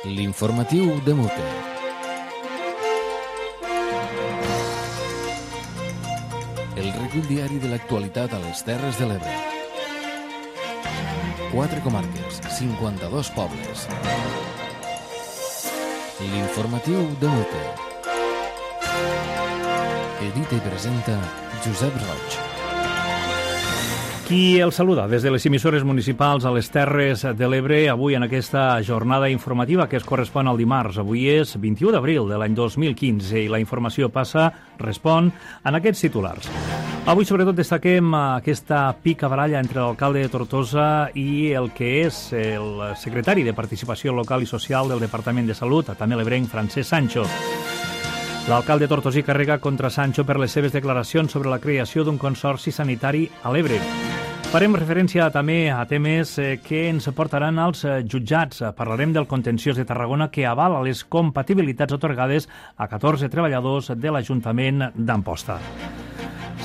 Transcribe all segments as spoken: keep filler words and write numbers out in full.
L'informatiu de Mute. El recull diari de l'actualitat a les Terres de l'Ebre. Quatre comarques, cinquanta-dos pobles. L'informatiu de Mute. Edita i presenta Josep Roig. Qui el saluda des de les emissores municipals a les Terres de l'Ebre, avui en aquesta jornada informativa que es correspon al dimarts. Avui és vint-i-u d'abril de l'any dos mil quinze i la informació passa, respon, en aquests titulars. Avui, sobretot, destaquem aquesta pica baralla entre l'alcalde de Tortosa i el que és el secretari de Participació Local i Social del Departament de Salut, també l'ebrenc Francesc Sancho. L'alcalde tortosí carrega contra Sancho per les seves declaracions sobre la creació d'un consorci sanitari a l'Ebre. Farem referència també a temes que ens portaran als jutjats. Parlarem del contenciós de Tarragona que avala les compatibilitats atorgades a catorze treballadors de l'Ajuntament d'Amposta.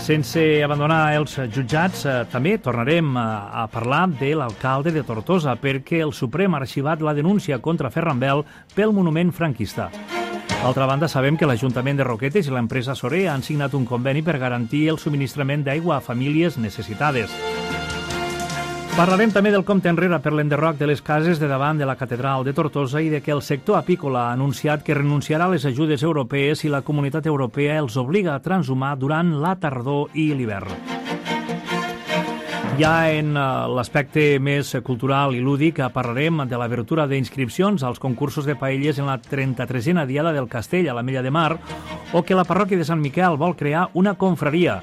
Sense abandonar els jutjats, també tornarem a parlar de l'alcalde de Tortosa perquè el Suprem ha arxivat la denúncia contra Ferran Bel pel monument franquista. D'altra banda, sabem que l'Ajuntament de Roquetes i l'empresa Sorer han signat un conveni per garantir el subministrament d'aigua a famílies necessitades. Parlarem també del compte enrere per l'enderroc de les cases de davant de la Catedral de Tortosa i de que el sector apícola ha anunciat que renunciarà a les ajudes europees si la Comunitat Europea els obliga a transhumar durant la tardor i l'hivern. Ja en l'aspecte més cultural i lúdic parlarem de l'abertura d'inscripcions als concursos de paelles en la trenta-tresena Diada del Castell a l'Ametlla de Mar o que la parròquia de Sant Miquel vol crear una confraria.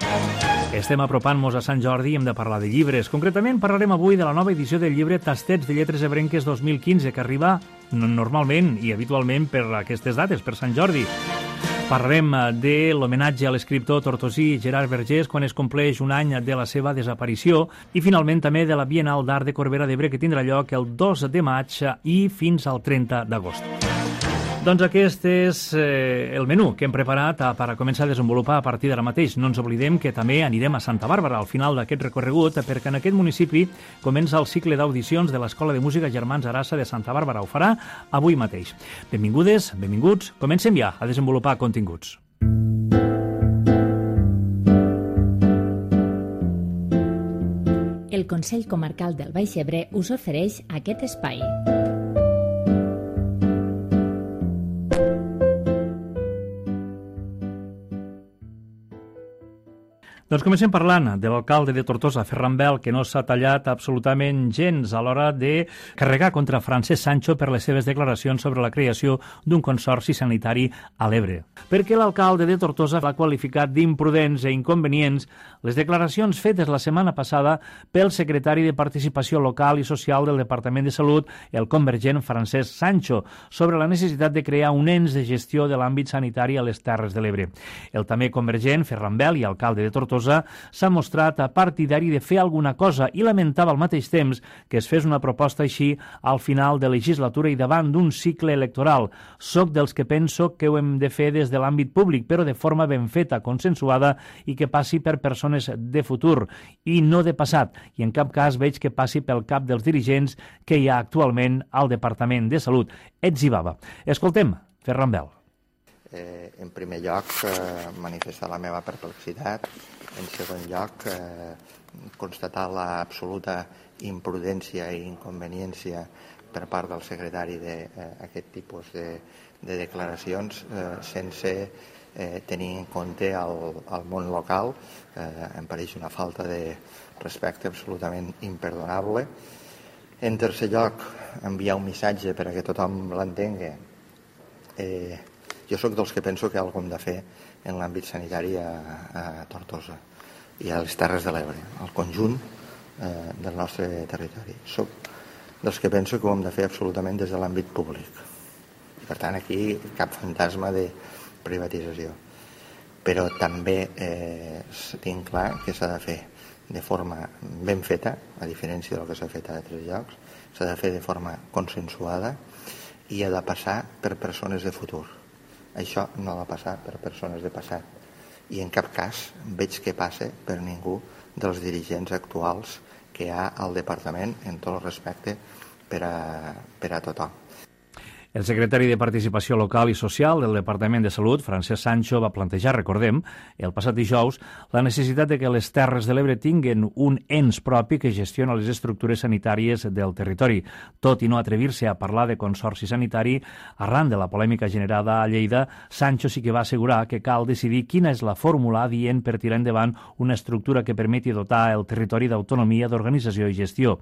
Estem apropant-nos a Sant Jordi i hem de parlar de llibres. Concretament parlarem avui de la nova edició del llibre Tastets de Lletres Ebrenques dos mil quinze que arriba normalment i habitualment per aquestes dates, per Sant Jordi. Parlarem de l'homenatge a l'escriptor tortosí Gerard Vergés quan es compleix un any de la seva desaparició i finalment també de la Bienal d'Art de Corbera d'Ebre que tindrà lloc el dos de maig i fins al trenta d'agost. Doncs aquest és eh, el menú que hem preparat per a començar a desenvolupar a partir d'ara mateix. No ens oblidem que també anirem a Santa Bàrbara al final d'aquest recorregut perquè en aquest municipi comença el cicle d'audicions de l'Escola de Música Germans Arassa de Santa Bàrbara. Ho farà avui mateix. Benvingudes, benvinguts. Comencem ja a desenvolupar continguts. El Consell Comarcal del Baix Ebre us ofereix aquest espai. Doncs comencem parlant de l'alcalde de Tortosa, Ferran Bel, que no s'ha tallat absolutament gens a l'hora de carregar contra Francesc Sancho per les seves declaracions sobre la creació d'un consorci sanitari a l'Ebre. Perquè l'alcalde de Tortosa l'ha qualificat d'imprudents e inconvenients les declaracions fetes la setmana passada pel secretari de Participació Local i Social del Departament de Salut, el convergent Francesc Sancho, sobre la necessitat de crear un ens de gestió de l'àmbit sanitari a les Terres de l'Ebre. El també convergent, Ferran Bel, i alcalde de Tortosa, s'ha mostrat partidari de fer alguna cosa i lamentava al mateix temps que es fes una proposta així al final de legislatura i davant d'un cicle electoral. Soc dels que penso que ho hem de fer des de l'àmbit públic, però de forma ben feta, consensuada i que passi per persones de futur i no de passat. I en cap cas veig que passi pel cap dels dirigents que hi ha actualment al Departament de Salut. Ets i bava. Escoltem, Ferran Bel. Eh, en primer lloc, eh, manifestar la meva perplexitat. En segon lloc, eh, constatar l'absoluta imprudència i inconveniència per part del secretari d'aquest eh, tipus de, de declaracions eh, sense eh, tenir en compte el, el món local. Eh, em pareix una falta de respecte absolutament imperdonable. En tercer lloc, enviar un missatge per a que tothom l'entengui. Eh, jo sóc dels que penso que hi ha alguna cosa de fer en l'àmbit sanitari a, a Tortosa i a les Terres de l'Ebre, al conjunt eh, del nostre territori. Soc dels que penso que ho hem de fer absolutament des de l'àmbit públic. Per tant, aquí cap fantasma de privatització. Però també eh, tinc clar que s'ha de fer de forma ben feta, a diferència del que s'ha fet a altres llocs, s'ha de fer de forma consensuada i ha de passar per persones de futur. Això no ha de passar per persones de passat i en cap cas veig que passe per ningú dels dirigents actuals que hi ha al departament, en tot el respecte per a, per a tothom. El secretari de Participació Local i Social del Departament de Salut, Francesc Sancho, va plantejar, recordem, el passat dijous, la necessitat de que les Terres de l'Ebre tinguen un ens propi que gestiona les estructures sanitàries del territori. Tot i no atrevir-se a parlar de consorci sanitari, arran de la polèmica generada a Lleida, Sancho sí que va assegurar que cal decidir quina és la fórmula adient per tirar endavant una estructura que permeti dotar el territori d'autonomia, d'organització i gestió.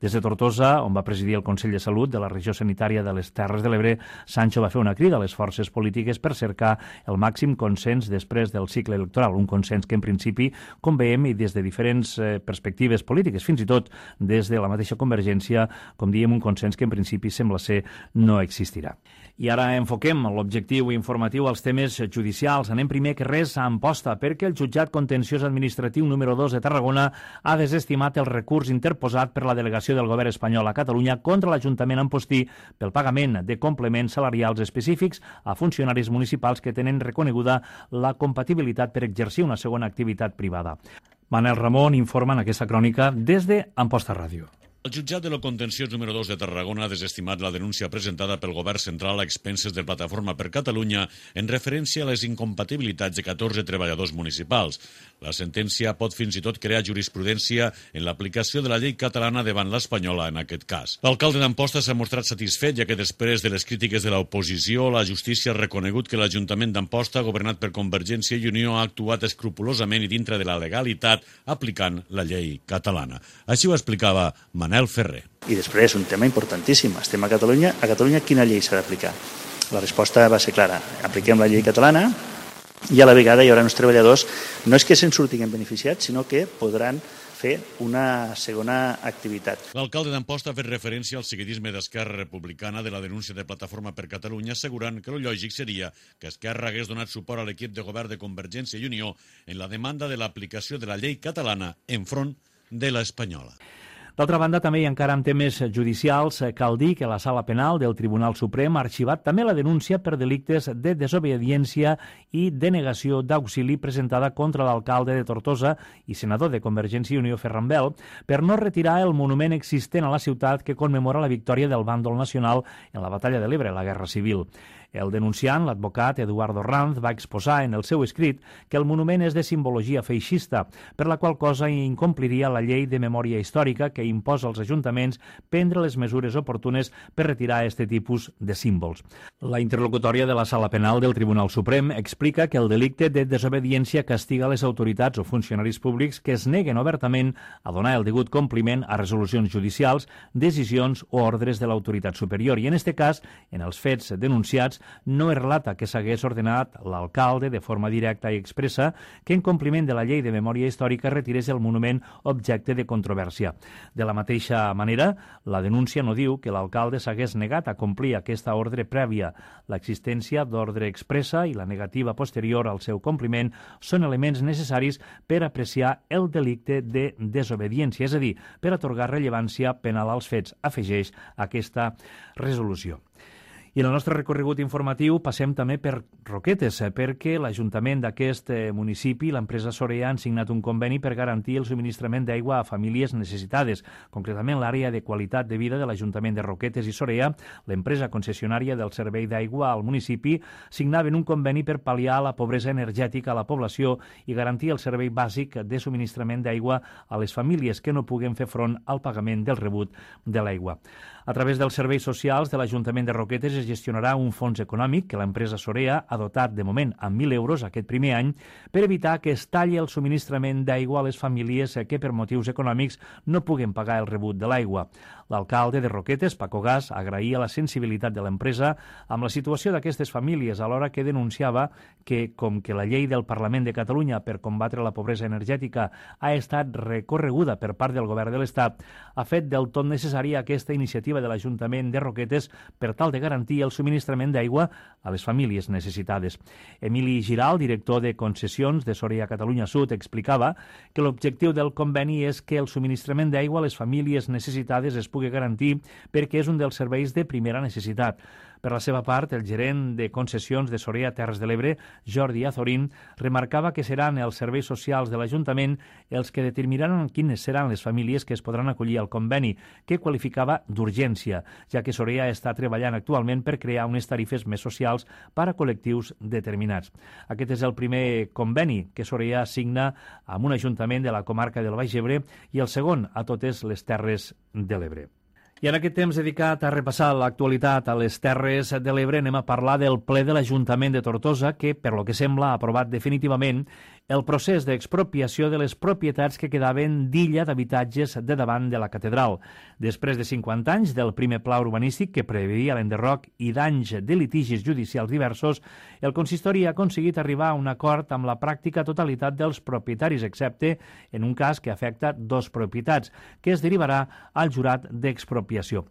Des de Tortosa, on va presidir el Consell de Salut de la regió sanitària de les Terres de l'Ebre, Sancho va fer una crida a les forces polítiques per cercar el màxim consens després del cicle electoral, un consens que en principi, com veiem, i des de diferents eh, perspectives polítiques, fins i tot des de la mateixa Convergència, com diem, un consens que en principi sembla ser no existirà. I ara enfoquem l'objectiu informatiu als temes judicials. Anem primer que res a Amposta, perquè el jutjat contenciós administratiu número dos de Tarragona ha desestimat el recurs interposat per la delegació del govern espanyol a Catalunya contra l'Ajuntament ampostí pel pagament de complements salarials específics a funcionaris municipals que tenen reconeguda la compatibilitat per exercir una segona activitat privada. Manel Ramon informa en aquesta crònica des de Amposta Ràdio. El jutjat de lo contenciós número dos de Tarragona ha desestimat la denúncia presentada pel govern central a expenses de Plataforma per Catalunya en referència a les incompatibilitats de catorze treballadors municipals. La sentència pot fins i tot crear jurisprudència en l'aplicació de la llei catalana davant l'espanyola en aquest cas. L'alcalde d'Amposta s'ha mostrat satisfet, ja que després de les crítiques de l'oposició, la justícia ha reconegut que l'Ajuntament d'Amposta, governat per Convergència i Unió, ha actuat escrupolosament i dintre de la legalitat aplicant la llei catalana. Així ho explicava Manel Ferrer. I després, un tema importantíssim. Estem a Catalunya. A Catalunya quina llei s'ha d'aplicar? La resposta va ser clara. Apliquem la llei catalana i a la vegada hi haurà uns treballadors, no és que se'n surtin beneficiats, sinó que podran fer una segona activitat. L'alcalde d'Amposta ha fet referència al seguidisme d'Esquerra Republicana de la denúncia de Plataforma per Catalunya, assegurant que el lògic seria que Esquerra hagués donat suport a l'equip de govern de Convergència i Unió en la demanda de l'aplicació de la llei catalana enfront de l'espanyola. D'altra banda, també i encara en temes judicials, cal dir que la Sala Penal del Tribunal Suprem ha arxivat també la denúncia per delictes de desobediència i denegació d'auxili presentada contra l'alcalde de Tortosa i senador de Convergència i Unió Ferran Bel per no retirar el monument existent a la ciutat que commemora la victòria del bàndol nacional en la batalla de l'Ebre, la Guerra Civil. El denunciant, l'advocat Eduardo Ranz, va exposar en el seu escrit que el monument és de simbologia feixista, per la qual cosa incompliria la llei de memòria històrica que imposa als ajuntaments prendre les mesures oportunes per retirar aquest tipus de símbols. La interlocutòria de la Sala Penal del Tribunal Suprem explica que el delicte de desobediència castiga les autoritats o funcionaris públics que es neguen obertament a donar el degut compliment a resolucions judicials, decisions o ordres de l'autoritat superior. I en aquest cas, en els fets denunciats, no es relata que s'hagués ordenat l'alcalde de forma directa i expressa que en compliment de la llei de memòria històrica retirés el monument objecte de controvèrsia. De la mateixa manera, la denúncia no diu que l'alcalde s'hagués negat a complir aquesta ordre prèvia. L'existència d'ordre expressa i la negativa posterior al seu compliment són elements necessaris per apreciar el delicte de desobediència, és a dir, per atorgar rellevància penal als fets, afegeix aquesta resolució. I en el nostre recorregut informatiu passem també per Roquetes, perquè l'Ajuntament d'aquest municipi i l'empresa Sorea han signat un conveni per garantir el subministrament d'aigua a famílies necessitades. Concretament, l'àrea de qualitat de vida de l'Ajuntament de Roquetes i Sorea, l'empresa concessionària del servei d'aigua al municipi, signaven un conveni per pal·liar la pobresa energètica a la població i garantir el servei bàsic de subministrament d'aigua a les famílies que no puguen fer front al pagament del rebut de l'aigua. A través dels serveis socials de l'Ajuntament de Roquetes es gestionarà un fons econòmic que l'empresa Sorea ha dotat de moment amb mil euros aquest primer any per evitar que es talli el subministrament d'aigua a les famílies que per motius econòmics no puguen pagar el rebut de l'aigua. L'alcalde de Roquetes, Paco Gas, agraïa la sensibilitat de l'empresa amb la situació d'aquestes famílies, alhora que denunciava que, com que la llei del Parlament de Catalunya per combatre la pobresa energètica ha estat recorreguda per part del govern de l'Estat, ha fet del tot necessària aquesta iniciativa de l'Ajuntament de Roquetes per tal de garantir el subministrament d'aigua a les famílies necessitades. Emili Giral, director de concessions de Sorea Catalunya Sud, explicava que l'objectiu del conveni és que el subministrament d'aigua a les famílies necessitades es pugui garantir perquè és un dels serveis de primera necessitat. Per la seva part, el gerent de concessions de Sorea Terres de l'Ebre, Jordi Azorín, remarcava que seran els serveis socials de l'Ajuntament els que determinaran quines seran les famílies que es podran acollir al conveni, que qualificava d'urgència, ja que Sorea està treballant actualment per crear unes tarifes més socials per a col·lectius determinats. Aquest és el primer conveni que Sorea signa amb un ajuntament de la comarca del Baix Ebre i el segon a totes les Terres de l'Ebre. I en aquest temps dedicat a repassar l'actualitat a les Terres de l'Ebre anem a parlar del ple de l'Ajuntament de Tortosa que, per lo que sembla, ha aprovat definitivament el procés d'expropiació de les propietats que quedaven d'illa d'habitatges de davant de la catedral. Després de cinquanta anys del primer pla urbanístic que preveia l'enderroc i d'anys de litigis judicials diversos, el consistori ha aconseguit arribar a un acord amb la pràctica totalitat dels propietaris, excepte en un cas que afecta dos propietats, que es derivarà al jurat d'expropiació.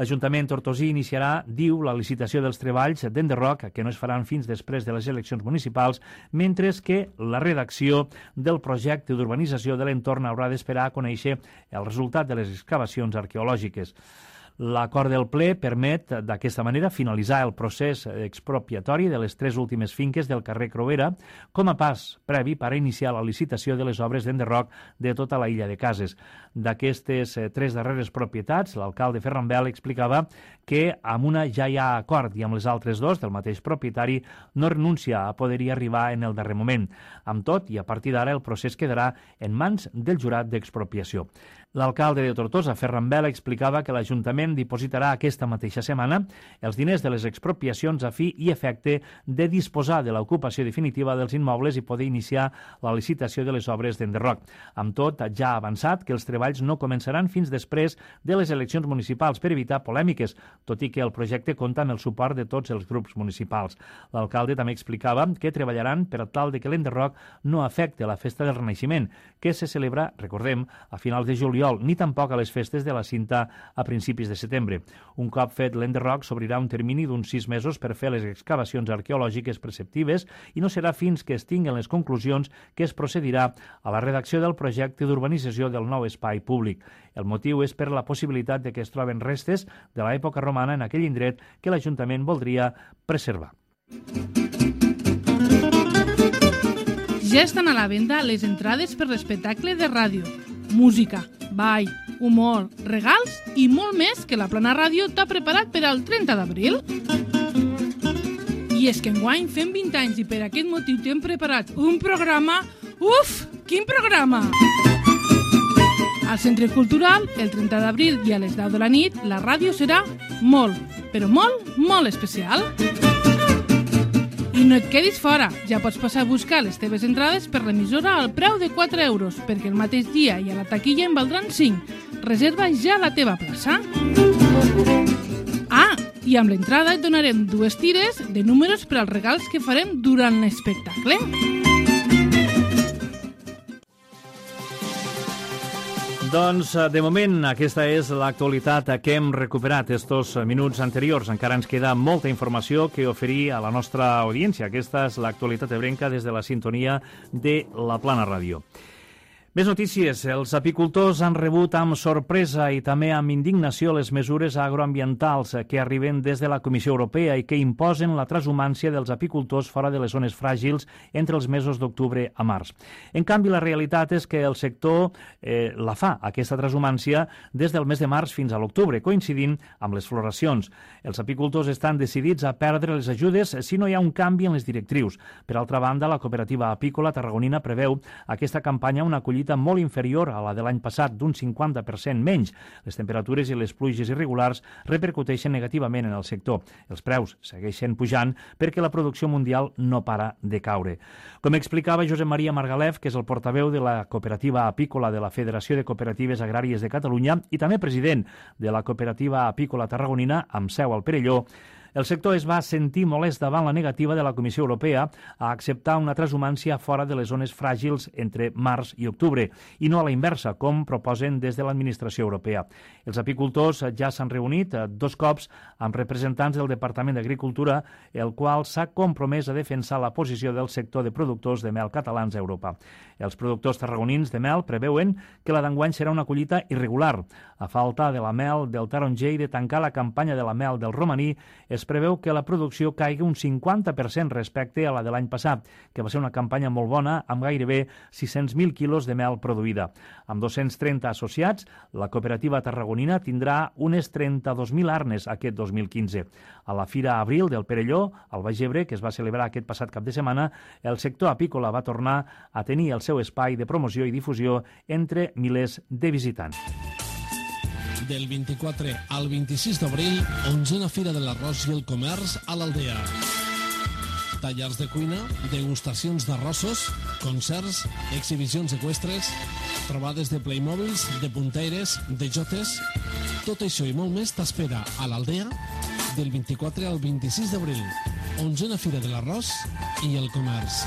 L'Ajuntament tortosí iniciarà, diu, la licitació dels treballs d'enderroc, que no es faran fins després de les eleccions municipals, mentre que la redacció del projecte d'urbanització de l'entorn haurà d'esperar a conèixer el resultat de les excavacions arqueològiques. L'acord del ple permet, d'aquesta manera, finalitzar el procés expropiatori de les tres últimes finques del carrer Creuera com a pas previ per a iniciar la licitació de les obres d'enderroc de tota la illa de cases. D'aquestes tres darreres propietats, l'alcalde Ferran Bel explicava que amb una ja hi ha acord i amb les altres dos del mateix propietari no renuncia a poder-hi arribar en el darrer moment. Amb tot, i a partir d'ara, el procés quedarà en mans del jurat d'expropiació. L'alcalde de Tortosa, Ferran Bel, explicava que l'Ajuntament dipositarà aquesta mateixa setmana els diners de les expropiacions a fi i efecte de disposar de l'ocupació definitiva dels immobles i poder iniciar la licitació de les obres d'enderroc. Amb tot, ja ha avançat que els treballs no començaran fins després de les eleccions municipals per evitar polèmiques, tot i que el projecte compta amb el suport de tots els grups municipals. L'alcalde també explicava que treballaran per tal de que l'enderroc no afecte la festa del Renaixement, que se celebra, recordem, a finals de juliol, ni tampoc a les festes de la Cinta a principis de setembre. Un cop fet l'enderroc, s'obrirà un termini d'uns sis mesos per fer les excavacions arqueològiques preceptives i no serà fins que es tinguen les conclusions que es procedirà a la redacció del projecte d'urbanització del nou espai públic. El motiu és per la possibilitat de que es troben restes de l'època romana en aquell indret que l'Ajuntament voldria preservar. Ja estan a la venda les entrades per l'espectacle de ràdio. Música, ball, humor, regals i molt més que la Plana Ràdio t'ha preparat per al trenta d'abril. I és que enguany fem vint anys i per aquest motiu t'hem preparat un programa... Uf, quin programa! Al Centre Cultural, el trenta d'abril i a les deu de la nit, la ràdio serà molt, però molt, molt especial. I no et quedis fora, ja pots passar a buscar les teves entrades per l'emissora al preu de quatre euros, perquè el mateix dia i a la taquilla en valdran cinc. Reserva ja la teva plaça. Ah, i amb l'entrada et donarem dues tires de números per als regals que farem durant l'espectacle. Doncs, de moment, aquesta és l'actualitat que hem recuperat estos minuts anteriors. Encara ens queda molta informació que oferir a la nostra audiència. Aquesta és l'actualitat ebrenca des de la sintonia de la Plana Ràdio. Més notícies. Els apicultors han rebut amb sorpresa i també amb indignació les mesures agroambientals que arriben des de la Comissió Europea i que imposen la transhumància dels apicultors fora de les zones fràgils entre els mesos d'octubre a març. En canvi, la realitat és que el sector eh, la fa, aquesta transhumància, des del mes de març fins a l'octubre, coincidint amb les floracions. Els apicultors estan decidits a perdre les ajudes si no hi ha un canvi en les directrius. Per altra banda, la cooperativa apícola tarragonina preveu aquesta campanya una collita molt inferior a la de l'any passat, d'un cinquanta per cent menys. Les temperatures i les pluges irregulars repercuteixen negativament en el sector. Els preus segueixen pujant perquè la producció mundial no para de caure. Com explicava Josep Maria Margalef, que és el portaveu de la cooperativa apícola de la Federació de Cooperatives Agràries de Catalunya i també president de la cooperativa apícola tarragonina amb seu al Perelló, el sector es va sentir molest davant la negativa de la Comissió Europea a acceptar una transhumància fora de les zones fràgils entre març i octubre, i no a la inversa, com proposen des de l'administració europea. Els apicultors ja s'han reunit dos cops amb representants del Departament d'Agricultura, el qual s'ha compromès a defensar la posició del sector de productors de mel catalans a Europa. Els productors tarragonins de mel preveuen que la d'enguany serà una collita irregular. A falta de la mel del taronger i de tancar la campanya de la mel del romaní, es es preveu que la producció caigui un cinquanta per cent respecte a la de l'any passat, que va ser una campanya molt bona amb gairebé sis-cents mil quilos de mel produïda. Amb dos-cents trenta associats, la cooperativa tarragonina tindrà unes trenta-dos mil arnes aquest dos mil quinze. A la Fira Abril del Perelló, al Baix Ebre, que es va celebrar aquest passat cap de setmana, el sector apícola va tornar a tenir el seu espai de promoció i difusió entre milers de visitants. Del vint-i-quatre al vint-i-sis d'abril, onzena Fira de l'Arròs i el Comerç a l'Aldea. Tallers de cuina, degustacions d'arrossos, concerts, exhibicions eqüestres, trobades de Playmobils, de punteires, de jotes... Tot això i molt més t'espera a l'Aldea del vint-i-quatre al vint-i-sis d'abril. Onzena Fira de l'Arròs i el Comerç.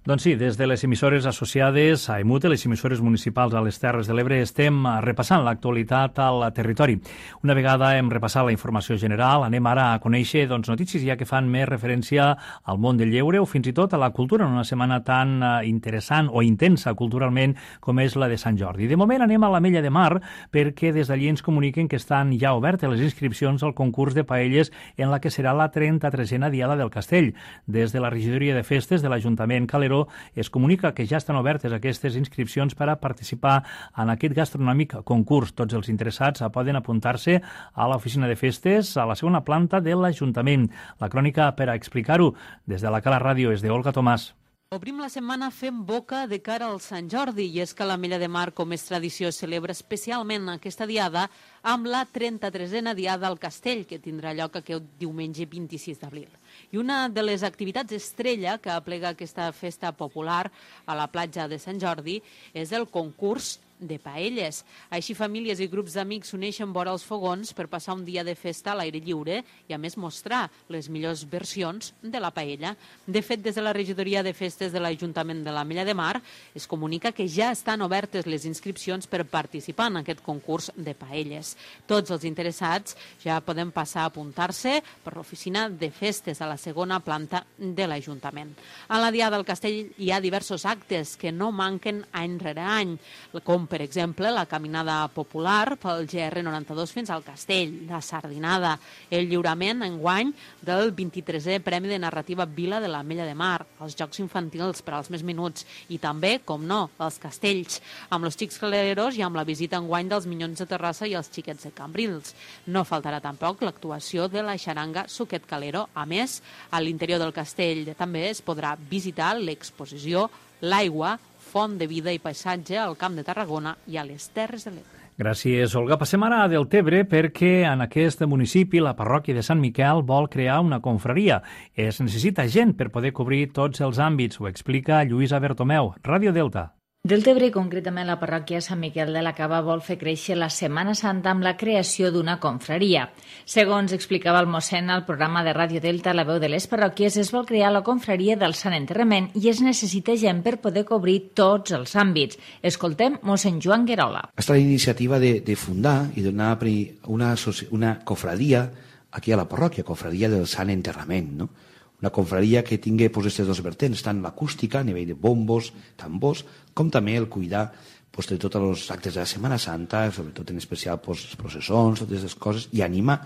Doncs sí, des de les emissores associades a EMUTE, les emissores municipals a les Terres de l'Ebre, estem repassant l'actualitat al territori. Una vegada hem repassat la informació general, anem ara a conèixer doncs, notícies ja que fan més referència al món del lleure o fins i tot a la cultura en una setmana tan interessant o intensa culturalment com és la de Sant Jordi. De moment anem a l'Ametlla de Mar perquè des d'allí ens comuniquen que estan ja obertes les inscripcions al concurs de paelles en la que serà la trenta-tresena Diada del Castell. Des de la regidoria de festes de l'Ajuntament Calero es comunica que ja estan obertes aquestes inscripcions per a participar en aquest gastronòmic concurs. Tots els interessats poden apuntar-se a l'oficina de festes a la segona planta de l'Ajuntament. La crònica per a explicar-ho des de la Cala Ràdio és d'Olga Tomàs. Obrim la setmana fent boca de cara al Sant Jordi i és que l'Ametlla de Mar, com és tradició, celebra especialment aquesta diada amb la trenta-tresena Diada al Castell, que tindrà lloc aquest diumenge vint-i-sis d'abril. I una de les activitats estrella que aplega aquesta festa popular a la platja de Sant Jordi és el concurs de paelles. Així famílies i grups d'amics s'uneixen vora els fogons per passar un dia de festa a l'aire lliure i a més mostrar les millors versions de la paella. De fet, des de la regidoria de festes de l'Ajuntament de l'Ametlla de Mar es comunica que ja estan obertes les inscripcions per participar en aquest concurs de paelles. Tots els interessats ja poden passar a apuntar-se per l'oficina de festes a la segona planta de l'Ajuntament. A la Diada del Castell hi ha diversos actes que no manquen any rere any, com per exemple la caminada popular pel G R noranta-dos fins al Castell, la sardinada, el lliurament enguany del vint-i-tresè Premi de Narrativa Vila de l'Ametlla de Mar, els jocs infantils per als més menuts i també, com no, els castells, amb els xics caleros i amb la visita enguany dels Minyons de Terrassa i els xiquets de Cambrils. No faltarà tampoc l'actuació de la xaranga Suquet Calero. A més, a l'interior del castell també es podrà visitar l'exposició L'aigua, font de vida i paisatge al Camp de Tarragona i a les Terres de l'Ebre. Gràcies, Olga. Passem ara a Deltebre perquè en aquest municipi la parròquia de Sant Miquel vol crear una confraria. Es necessita gent per poder cobrir tots els àmbits. Ho explica Lluïsa Bertomeu, Ràdio Delta. Deltebre, concretament la parròquia Sant Miquel de la Cava, vol fer créixer la Setmana Santa amb la creació d'una confraria. Segons explicava el mossèn al programa de Ràdio Delta, La veu de les parròquies, es vol crear la confraria del Sant Enterrament i es necessita gent per poder cobrir tots els àmbits. Escoltem mossèn Joan Guerola. Està la iniciativa de, de fundar i donar una, una confraria aquí a la parròquia, confraria del Sant Enterrament, no? Una confraria que tingui pues, aquests dos vertents, tant l'acústica a nivell de bombos, tambors, com també el cuidar pues, de tots els actes de la Setmana Santa, sobretot en especial pues, les processons, totes aquestes coses, i animar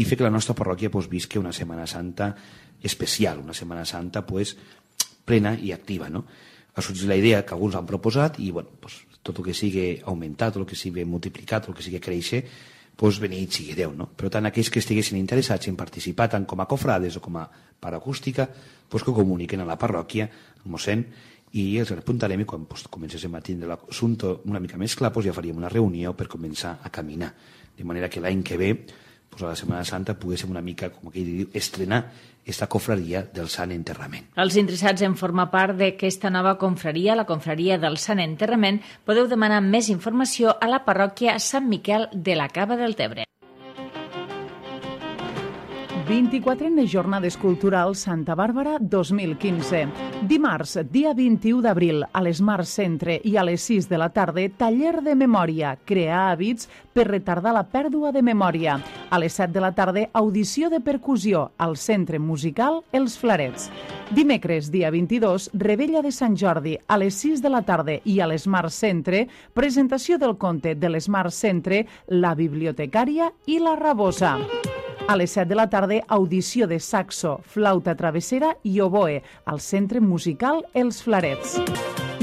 i fer que la nostra parròquia pues, visqui una Setmana Santa especial, una Setmana Santa pues, plena i activa. No? Ha sorgit la idea que alguns han proposat i bueno, pues, tot el que sigui augmentat, tot el que sigui multiplicat, tot el que sigui créixer, pues, beneït sigui Déu, no? Per tant, aquells que estiguessin interessats en participar tant com a cofrades o com a paracústica, pues, que comuniquen a la parròquia, al mossèn, i els apuntarem i quan pues, comencéssim a tindre l'assumpte una mica més clar, pues, ja faríem una reunió per començar a caminar. De manera que l'any que ve, pues, a la Setmana Santa, poguéssim una mica, com aquell diu, estrenar esta confraria del Sant Enterrament. Els interessats en formar part d'aquesta nova confraria, la confraria del Sant Enterrament, podeu demanar més informació a la parròquia Sant Miquel de la Cava del Tebre. vint-i-quatrena Jornades Culturals Santa Bàrbara dos mil quinze. Dimarts, dia vint-i-u d'abril, a l'Smart Centre i a les sis de la tarda, taller de memòria, crear hàbits per retardar la pèrdua de memòria. A les set de la tarda, audició de percussió al Centre Musical Els Flarets. Dimecres, dia vint-i-dos, Rebella de Sant Jordi, a les sis de la tarda i a l'Smart Centre, presentació del conte de l'Smart Centre, La bibliotecària i la rabosa. A les set de la tarda, audició de saxo, flauta travessera i oboe al Centre Musical Els Flarets.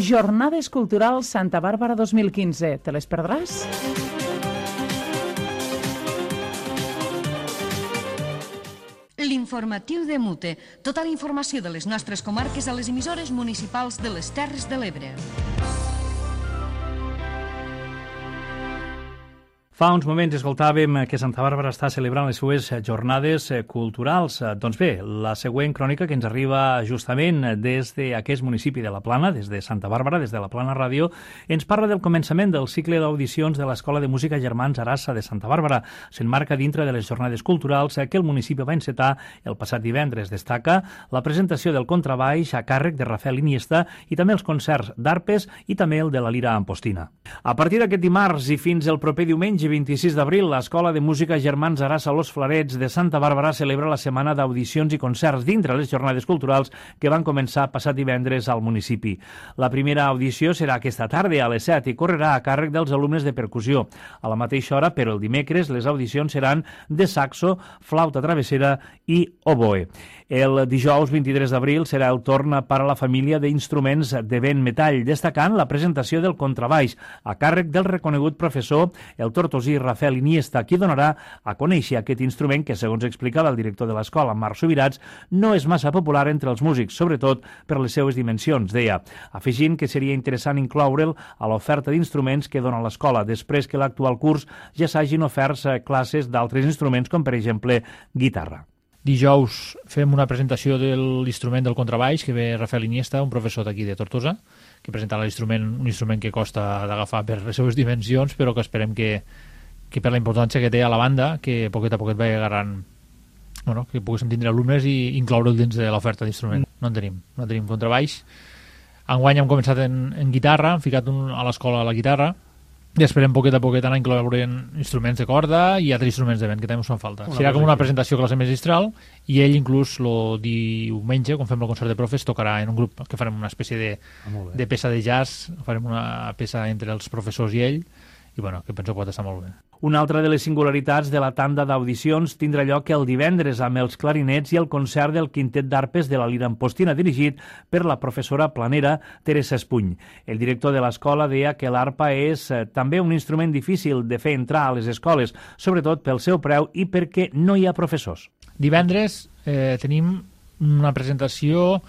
Jornades Culturals Santa Bàrbara dos mil quinze. Te les perdràs? L'informatiu de Mute. Tota la informació de les nostres comarques a les emissores municipals de les Terres de l'Ebre. Fa uns moments escoltàvem que Santa Bàrbara està celebrant les seues jornades culturals. Doncs bé, la següent crònica que ens arriba justament des d'aquest municipi de la Plana, des de Santa Bàrbara, des de la Plana Ràdio, ens parla del començament del cicle d'audicions de l'Escola de Música Germans Arassa de Santa Bàrbara. S'emmarca dintre de les jornades culturals que el municipi va encetar el passat divendres. Destaca la presentació del contrabaix a càrrec de Rafael Iniesta i també els concerts d'arpes i també el de la lira ampostina. A partir d'aquest dimarts i fins el proper diumenge vint-i-sis d'abril, l'Escola de Música Germans Arassa Los Flarets de Santa Bàrbara celebra la setmana d'audicions i concerts dintre les jornades culturals que van començar passat divendres al municipi. La primera audició serà aquesta tarda a les set i correrà a càrrec dels alumnes de percussió. A la mateixa hora, però el dimecres, les audicions seran de saxo, flauta travessera i oboe. El dijous vint-i-tres d'abril serà el torn per a la família d'instruments de vent metall, destacant la presentació del contrabaix a càrrec del reconegut professor, el tortosí Rafael Iniesta, qui donarà a conèixer aquest instrument que, segons explicava el director de l'escola, Marc Subirats, no és massa popular entre els músics, sobretot per les seues dimensions, deia, afegint que seria interessant incloure'l a l'oferta d'instruments que dona l'escola, després que l'actual curs ja s'hagin oferts classes d'altres instruments, com per exemple guitarra. Dijous fem una presentació de l'instrument del contrabaix, que ve Rafael Iniesta, un professor d'aquí de Tortosa, que presentarà l'instrument, un instrument que costa d'agafar per les seves dimensions, però que esperem que, que per la importància que té a la banda, que poquet a poquet vagi agarrant, bueno, que poguéssim tindre alumnes i incloure'l dins de l'oferta d'instrument. No en tenim, no en tenim contrabaix. Enguany hem començat en, en guitarra, hem ficat un, a l'escola la guitarra, i esperem poquet a poquet anar incloent instruments de corda i altres instruments de vent que també ens fan falta. Una Serà com una presentació classe magistral i ell inclús el diumenge, quan fem el concert de profes, tocarà en un grup que farem una espècie de, ah, de peça de jazz, farem una peça entre els professors i ell i bueno, que penso que pot estar molt bé. Una altra de les singularitats de la tanda d'audicions tindrà lloc el divendres amb els clarinets i el concert del quintet d'arpes de la lira ampostina dirigit per la professora planera Teresa Espuny. El director de l'escola deia que l'arpa és eh, també un instrument difícil de fer entrar a les escoles, sobretot pel seu preu i perquè no hi ha professors. Divendres eh, tenim una presentació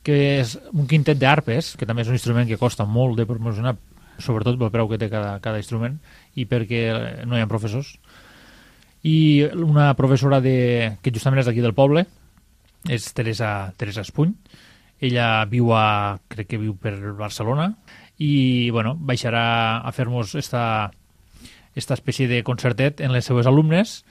que és un quintet d'arpes, que també és un instrument que costa molt de promocionar, sobretot pel preu que té cada, cada instrument i perquè no hi ha professors, i una professora de, que justament és d'aquí del poble, és Teresa, Teresa Espuny. Ella viu a, crec que viu per Barcelona i bueno, baixarà a fer-nos esta, esta espècie de concertet en les seues alumnes,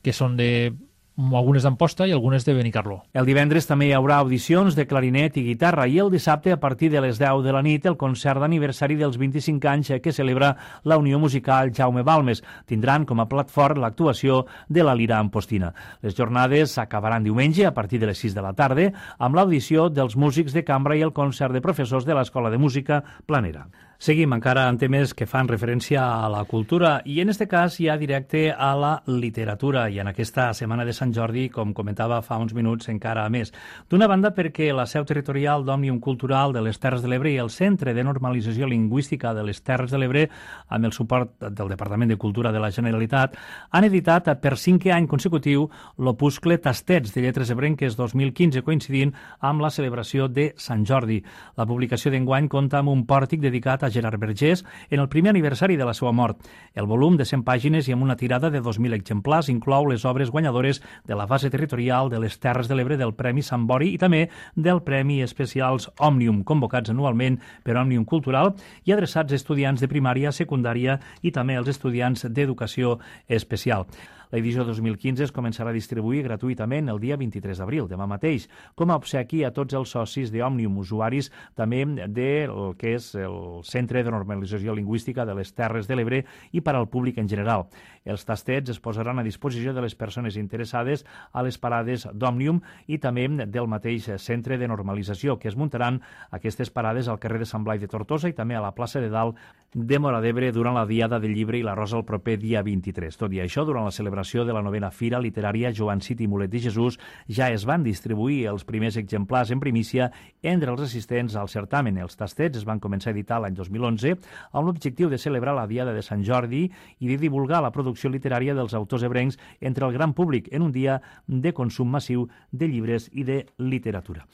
que són de algunes d'Amposta i algunes de Benicarló. El divendres també hi haurà audicions de clarinet i guitarra i el dissabte, a partir de les deu de la nit, el concert d'aniversari dels vint-i-cinc anys que celebra la Unió Musical Jaume Balmes. Tindran com a plat fort l'actuació de la lira ampostina. Les jornades acabaran diumenge a partir de les sis de la tarda amb l'audició dels músics de cambra i el concert de professors de l'Escola de Música Planera. Seguim encara en temes que fan referència a la cultura i en este cas ja directe a la literatura i en aquesta Setmana de Sant Jordi, com comentava fa uns minuts, encara més. D'una banda perquè la seu territorial d'Òmnium Cultural de les Terres de l'Ebre i el Centre de Normalització Lingüística de les Terres de l'Ebre, amb el suport del Departament de Cultura de la Generalitat, han editat per cinquè any consecutiu l'opuscle Tastets de Lletres Ebrenques dos mil quinze, coincidint amb la celebració de Sant Jordi. La publicació d'enguany compta amb un pòrtic dedicat a Gerard Vergés en el primer aniversari de la seva mort. El volum de cent pàgines i amb una tirada de dos mil exemplars inclou les obres guanyadores de la fase territorial de les Terres de l'Ebre del Premi Sant Bori i també del Premi Especials Òmnium, convocats anualment per Òmnium Cultural i adreçats a estudiants de primària, secundària i també als estudiants d'educació especial. L'edició dos mil quinze es començarà a distribuir gratuïtament el dia vint-i-tres d'abril, demà mateix, com a obsequi a tots els socis d'Òmnium, usuaris també del que és el Centre de Normalització Lingüística de les Terres de l'Ebre i per al públic en general. Els tastets es posaran a disposició de les persones interessades a les parades d'Òmnium i també del mateix Centre de Normalització, que es muntaran aquestes parades al carrer de Sant Blai de Tortosa i també a la plaça de Dalt de Móra d'Ebre durant la Diada del Llibre i la Rosa el proper dia vint-i-tres. Tot i això, durant la celebració de la novena Fira Literària Joan Cid i Mulet de Jesús ja es van distribuir els primers exemplars en primícia entre els assistents al certamen. Els tastets es van començar a editar l'any dos mil onze amb l'objectiu de celebrar la Diada de Sant Jordi i de divulgar la producció literària dels autors ebrencs entre el gran públic en un dia de consum massiu de llibres i de literatura.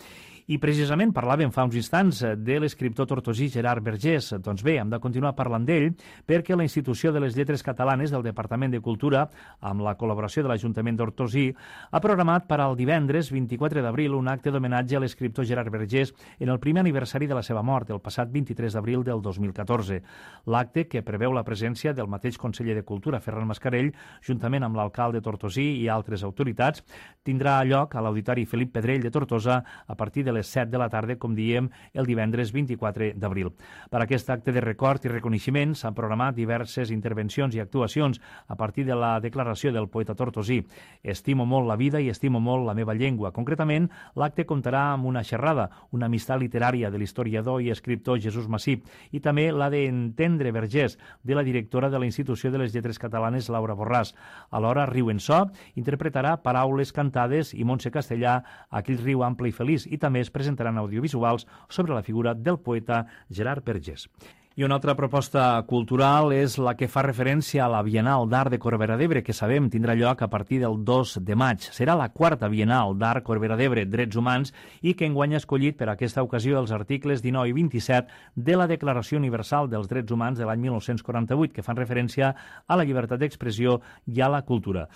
I precisament parlàvem fa uns instants de l'escriptor tortosí Gerard Vergés. Doncs bé, hem de continuar parlant d'ell perquè la Institució de les Lletres Catalanes del Departament de Cultura, amb la col·laboració de l'Ajuntament d'Hortosí, ha programat per al divendres vint-i-quatre d'abril un acte d'homenatge a l'escriptor Gerard Vergés en el primer aniversari de la seva mort, el passat vint-i-tres d'abril del dos mil catorze. L'acte, que preveu la presència del mateix conseller de Cultura, Ferran Mascarell, juntament amb l'alcalde Tortosí i altres autoritats, tindrà lloc a l'Auditori Felip Pedrell de Tortosa a partir de les set de la tarda, com diem, el divendres vint-i-quatre d'abril. Per aquest acte de record i reconeixement s'han programat diverses intervencions i actuacions a partir de la declaració del poeta tortosí. Estimo molt la vida i estimo molt la meva llengua. Concretament, l'acte comptarà amb una xerrada, una amistat literària de l'historiador i escriptor Jesús Massip i també la d'Entendre Vergés, de la directora de la Institució de les Lletres Catalanes, Laura Borràs. Alhora, Riu en So interpretarà paraules cantades i Montse Castellà, Aquell riu ample i feliç, i també es presentaran audiovisuals sobre la figura del poeta Gerard Vergés. I una altra proposta cultural és la que fa referència a la Bienal d'Art de Corbera d'Ebre, que sabem tindrà lloc a partir del dos de maig. Serà la quarta Bienal d'Art Corbera d'Ebre, Drets Humans, i que enguany ha escollit per a aquesta ocasió els articles dinou i vint-i-set de la Declaració Universal dels Drets Humans de l'any mil nou-cents quaranta-vuit, que fan referència a la llibertat d'expressió i a la cultura.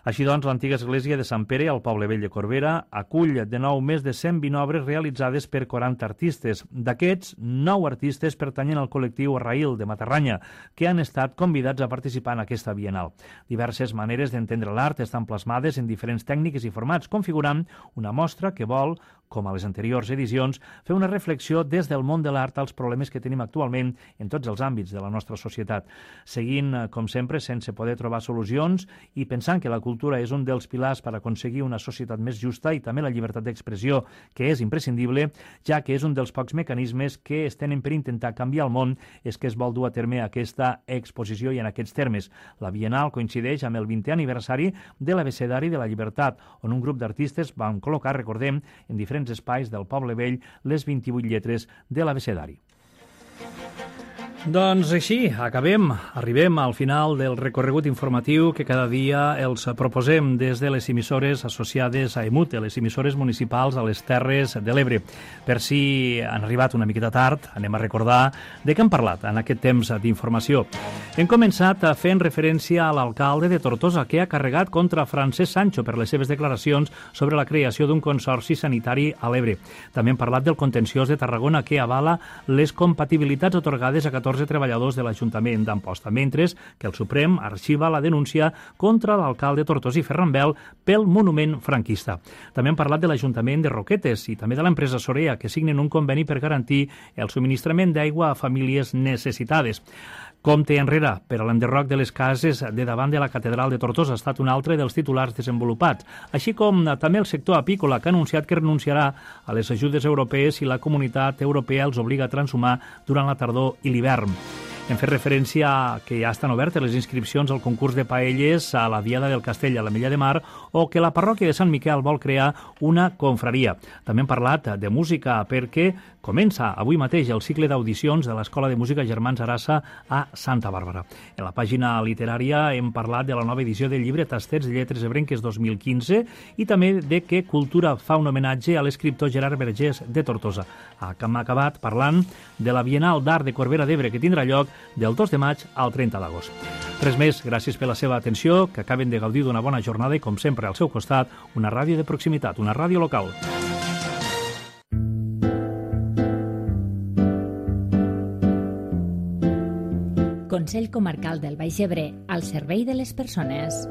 Així doncs, l'antiga església de Sant Pere, al poble vell de Corbera, acull de nou més de cent vint obres realitzades per quaranta artistes. D'aquests, nou artistes pertanyen al col·lectiu Arraïl de Matarranya, que han estat convidats a participar en aquesta Bienal. Diverses maneres d'entendre l'art estan plasmades en diferents tècniques i formats, configurant una mostra que vol, com a les anteriors edicions, fer una reflexió des del món de l'art als problemes que tenim actualment en tots els àmbits de la nostra societat. Seguint, com sempre, sense poder trobar solucions i pensant que la cultura és un dels pilars per aconseguir una societat més justa i també la llibertat d'expressió, que és imprescindible, ja que és un dels pocs mecanismes que es tenen per intentar canviar el món, és que es vol dur a terme aquesta exposició i en aquests termes. La Bienal coincideix amb el vintè aniversari de l'Abecedari de la Llibertat, on un grup d'artistes van col·locar, recordem, en diferents espais del poble vell les vint-i-vuit lletres de l'Abecedari. Doncs així, acabem, arribem al final del recorregut informatiu que cada dia els proposem des de les emissores associades a EMUT, les emissores municipals a les Terres de l'Ebre. Per si han arribat una miqueta tard, anem a recordar de què hem parlat en aquest temps d'informació. Hem començat fent referència a l'alcalde de Tortosa, que ha carregat contra Francesc Sancho per les seves declaracions sobre la creació d'un consorci sanitari a l'Ebre. També hem parlat del contenciós de Tarragona, que avala les compatibilitats atorgades a catorze treballadors de l'Ajuntament d'Amposta, mentre que el Suprem arxiva la denúncia contra l'alcalde tortosí Ferran Bel pel monument franquista. També hem parlat de l'Ajuntament de Roquetes i també de l'empresa Sorea, que signen un conveni per garantir el subministrament d'aigua a famílies necessitades. Compte enrere per a l'enderroc de les cases de davant de la Catedral de Tortosa ha estat un altre dels titulars desenvolupats, així com també el sector apícola, que ha anunciat que renunciarà a les ajudes europees si la Comunitat Europea els obliga a transhumar durant la tardor i l'hivern. Hem fet referència a que ja estan obertes les inscripcions al concurs de paelles a la Diada del Castell a l'Ametlla de Mar o que la parròquia de Sant Miquel vol crear una confraria. També hem parlat de música perquè comença avui mateix el cicle d'audicions de l'Escola de Música Germans Arassa a Santa Bàrbara. En la pàgina literària hem parlat de la nova edició del llibre Tastets de Lletres Ebrenques dos mil quinze i també de que Cultura fa un homenatge a l'escriptor Gerard Vergés de Tortosa. Hem acabat parlant de la Bienal d'Art de Corbera d'Ebre, que tindrà lloc del dos de maig al trenta d'agost. Res més, gràcies per la seva atenció, que acaben de gaudir d'una bona jornada i, com sempre, al seu costat, una ràdio de proximitat, una ràdio local. Consell Comarcal del Baix Ebre, al servei de les persones.